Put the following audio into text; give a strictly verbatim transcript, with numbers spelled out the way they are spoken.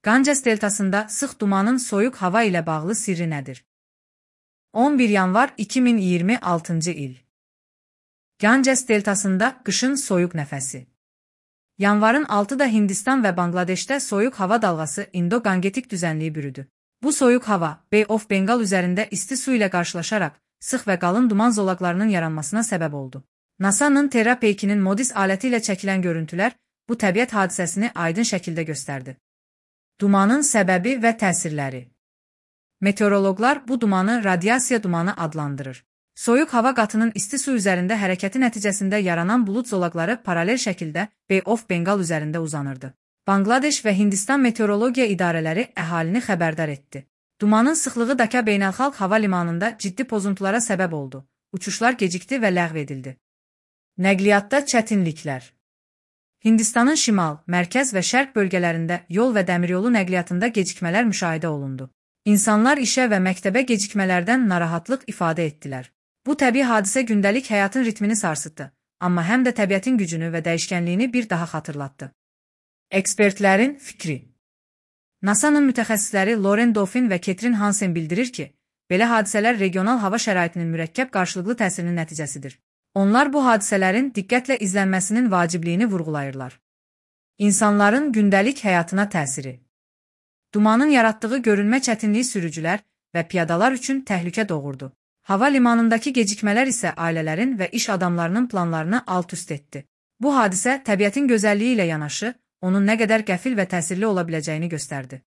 Ganges deltasında sıx dumanın soyuq hava ilə bağlı sirri nədir? on bir yanvar iki min iyirmi altıncı il. Ganges deltasında qışın soyuq nəfəsi. Yanvarın altıda Hindistan və Bangladeşdə soyuq hava dalğası Indo-Gangetik düzənliyi bürüdü. Bu soyuq hava Bay of Bengal üzərində isti su ilə qarşılaşaraq sıx və qalın duman zolaqlarının yaranmasına səbəb oldu. NASA'nın Terra peykinin MODIS aləti ilə çəkilən görüntülər bu təbiət hadisəsini aydın şəkildə göstərdi. Dumanın səbəbi və təsirləri. Meteoroloqlar bu dumanı radiasiya dumanı adlandırır. Soyuq hava qatının isti su üzərində hərəkəti nəticəsində yaranan bulud zolaqları paralel şəkildə Bay of Bengal üzərində uzanırdı. Bangladeş və Hindistan meteorologiya idarələri əhalini xəbərdar etdi. Dumanın sıxlığı Dhaka beynəlxalq hava limanında ciddi pozuntulara səbəb oldu. Uçuşlar gecikdi və ləğv edildi. Nəqliyyatda çətinliklər. Hindistanın şimal, mərkəz və şərq bölgələrində yol və dəmiryolu nəqliyyatında gecikmələr müşahidə olundu. İnsanlar işə və məktəbə gecikmələrdən narahatlıq ifadə etdilər. Bu təbii hadisə gündəlik həyatın ritmini sarsıtdı, amma həm də təbiətin gücünü və dəyişkənliyini bir daha xatırlatdı. Ekspertlərin fikri. NASA'nın mütəxəssisləri Lauren Dauphin və Catherine Hansen bildirir ki, belə hadisələr regional hava şəraitinin mürəkkəb qarşılıqlı təsirinin nəticəsidir. Onlar bu hadisələrin diqqətlə izlənməsinin vacibliyini vurğulayırlar. İnsanların gündəlik həyatına təsiri. Dumanın yaratdığı görünmə çətinliyi sürücülər və piyadalar üçün təhlükə doğurdu. Hava limanındakı gecikmələr isə ailələrin və iş adamlarının planlarını alt-üst etdi. Bu hadisə təbiətin gözəlliyi ilə yanaşı, onun nə qədər qəfil və təsirli ola biləcəyini göstərdi.